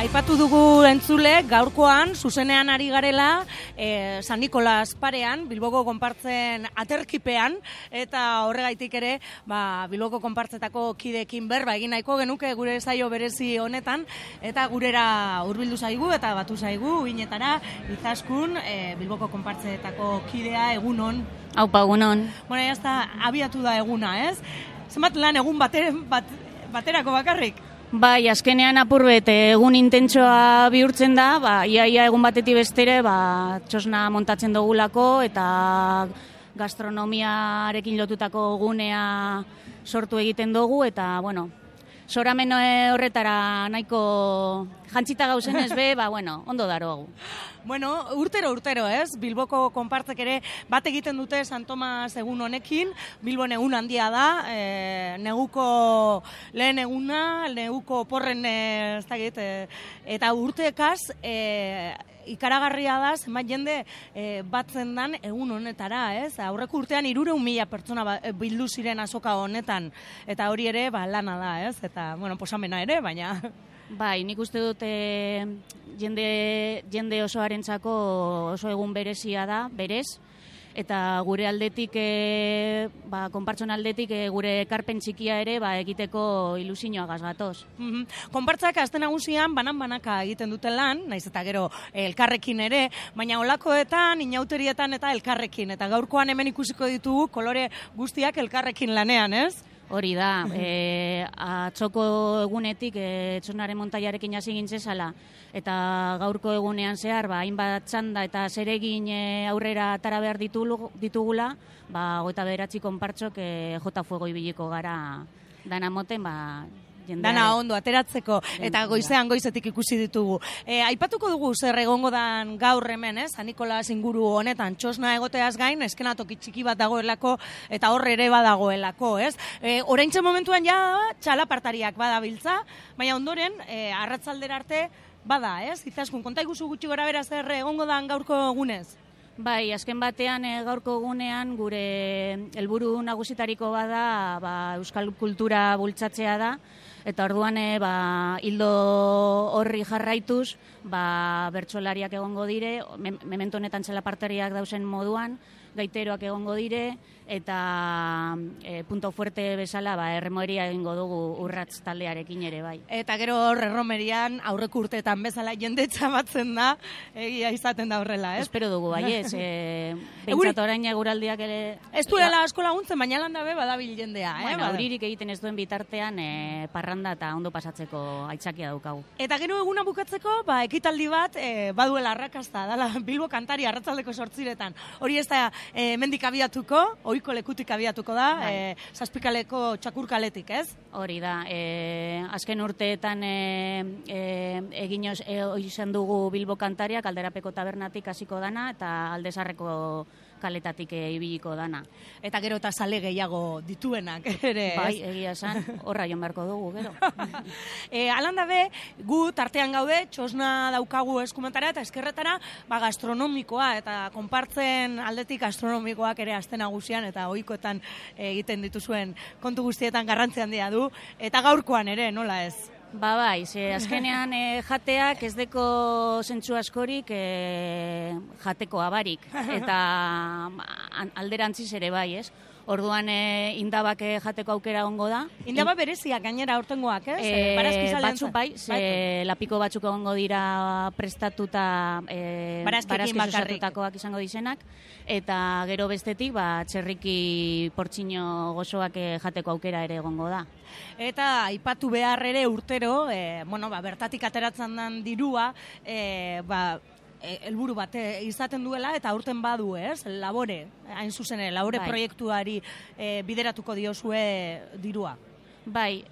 Aipatu dugu entzule, gaurkoan, zuzenean ari garela, San Nikolas parean, Bilboko konpartzen aterkipean, eta horregaitik ere, Bilboko konpartzetako kideekin berba egin nahiko genuke gure saio berezi honetan, eta gurera hurbildu zaigu eta batu zaigu, uinetara, Izaskun, Bilboko konpartzetako kidea, egunon. Aupa, egunon. Bueno, jazta, abiatu da eguna, ez? Zenbat lan egun baterako bakarrik? Bai, azkenean apurbet egun intentsoa bihurtzen da, iaia egun batetik bestere, txosna montatzen dugulako eta gastronomiarekin lotutako gunea sortu egiten dugu eta, bueno, soramen horretara nahiko jantzita gauzen ez be, ondo daroagu. Bueno, urtero, ez? Bilboko konpartzek ere bat egiten dute San Tomas egun honekin, Bilbon egun handia da, neguko lehen eguna, neguko porren, ez dakit, eta urtekaz, ikaragarria da, zenbat jende batzen dan egun honetara, ez? Aurreko urtean 300.000 pertsona bildu ziren azoka honetan, eta hori ere lana da, ez? Eta, posamena ere, baina... Bai, nik uste dut jende osoarentzako oso egun berezia da, berez, eta gure aldetik, konpartzon aldetik, gure ekarpen txikia ere egiteko ilusioa gazgatoz. Konpartzak azten nagusian banan-banaka egiten duten lan, naiz eta gero elkarrekin ere, baina olakoetan, inauterietan eta elkarrekin, eta gaurkoan hemen ikusiko ditugu kolore guztiak elkarrekin lanean, ez? Hori da, atzoko egunetik txosnaren montaiarekin hasi gintzezala eta gaurko egunean zehar, hainbat txanda eta zeregin aurrera atara behar ditugula, 29 konpartzok jota fuego ibiliko gara dana moten, dana ondo ateratzeko, eta goizetik ikusi ditugu. Aipatuko dugu zer egongo dan gaur hemen, San Nikolas inguru honetan, txosna egoteaz gain, eskenatoki txiki bat dagoelako, eta hor ere badagoelako, ez? Oraintxe momentuan txalapartariak badabiltza, baina ondoren, arratzaldera arte bada, ez? Izaskun, konta iguzu gutxi gora bera zer egongo dan gaurko egunez? Bai, azken batean gaurko egunean gure helburu nagusitariko bada euskal kultura bultzatzea da, eta orduan hildo horri jarraituz, bertsolariak egongo dire, memento honetan txalapartariak dausen moduan, gaiteroak egongo dire, eta punto fuerte bezala erremoeria egingo dugu urratz taldearekin ere bai. Eta gero erromerian aurreko urteetan bezala jende txamatzen da, egia izaten da horrela, ez? Espero dugu, bai ez, pentsat orain eguraldiak ere... Ez duela asko laguntzen, baina landabe badabil jendea, Auririk egiten ez duen bitartean parranda eta ondo pasatzeko aitzakia daukagu. Eta gero eguna bukatzeko, ekitaldi bat baduela arrakasta, dala Bilbo kantari arratzaldeko 8:00. Hori ez da mendik abiatuko, ohiko lekutik abiatuko da, Zazpikaleko txakurkaletik, ez? Hori da, azken urteetan egin izan dugu Bilbo kantariak Alderapeko tabernatik hasiko dana eta Aldezarreko kaletatik ibiliko dana. Eta gero eta zale gehiago dituenak ere, ez? Bai, egia esan, horra joan beharko dugu, gero. Alandabe, gu tartean gaude, txosna daukagu eskumentara eta eskerretara, gastronomikoa eta konpartzen aldetik gastronomikoak ere azten nagusian eta ohikoetan egiten dituzuen kontu guztietan garrantzi handia du, eta gaurkoan ere, nola ez? Bai, azkenean jateak ez deko zentzu askorik jateko abarik, eta alderantziz ere bai, ez? Orduan indabak jateko aukera ongo da. Indabak bereziak gainera aurtengoak, ez? Batzuk bai, lapiko batzuk egongo dira prestatuta barazki osatutakoak izango dizenak, eta gero bestetik txerriki portzino gozoak jateko aukera ere egongo da. Eta aipatu behar ere urtero, bertatik ateratzen den dirua, helburu bat izaten duela eta aurten badu, ez? Labore, hain zuzen, labore proiektuari bideratuko diozue dirua. Bai,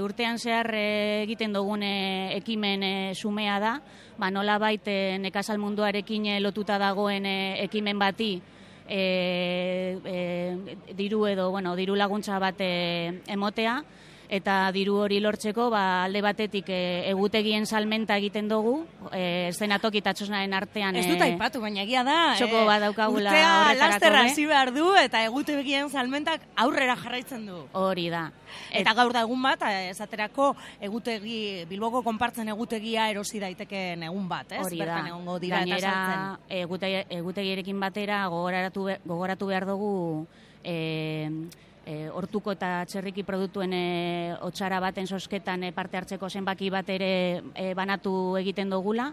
urtean zehar egiten dugun ekimen sumea da, nolabait nekazal munduarekin lotuta dagoen ekimen bati diru edo, diru laguntza bat emotea, eta diru hori lortzeko alde batetik egutegien salmenta egiten dugu, eszenatoki eta txosnaren artean ez dut aipatu, baina egia da txoko bat daukagula urtea laster hasi behar du eta egutegien salmentak aurrera jarraitzen du. Hori da. Eta gaur da egun bat, esaterako Bilboko konpartzen egutegia erosi daitekeen egun bat, ez? Hori da. Bertan egongo dira eta saltzen. Egutegierekin batera gogoratu behar dugu hortuko eta txerriki produktuen otxara baten sosketan parte hartzeko zenbaki bat ere banatu egiten dugula.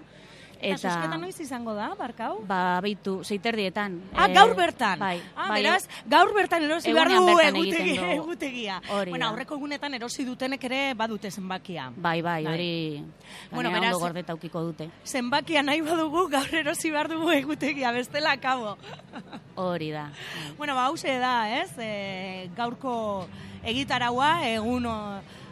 Eta sosketa noiz izango da, barkau? Beitu, 6:30. Gaur bertan? Bai. Beraz, gaur bertan erosi behar du egutegia. Bueno, aurreko egunetan erosi dutenek ere badute zenbakia. Bai, hori ganean ondo gordeta ukiko dute. Zenbakia nahi badugu, gaur erosi behar dugu egutegia, bestela akabo. Hori da. Bueno, hause da, ez? Gaurko egitaraua, egun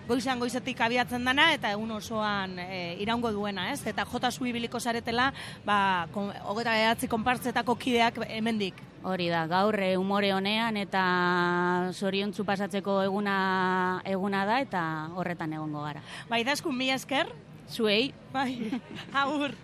goizean goizetik abiatzen dana eta egun osoan iraungo duena, ez? Eta Josu ibiliko zaretela, 29 konpartzetako kideak hemendik. Hori da, gaur umore honean eta zoriontsu pasatzeko eguna da eta horretan egongo gara. Bai, daskun, mila esker. Zuei. Bai, agur.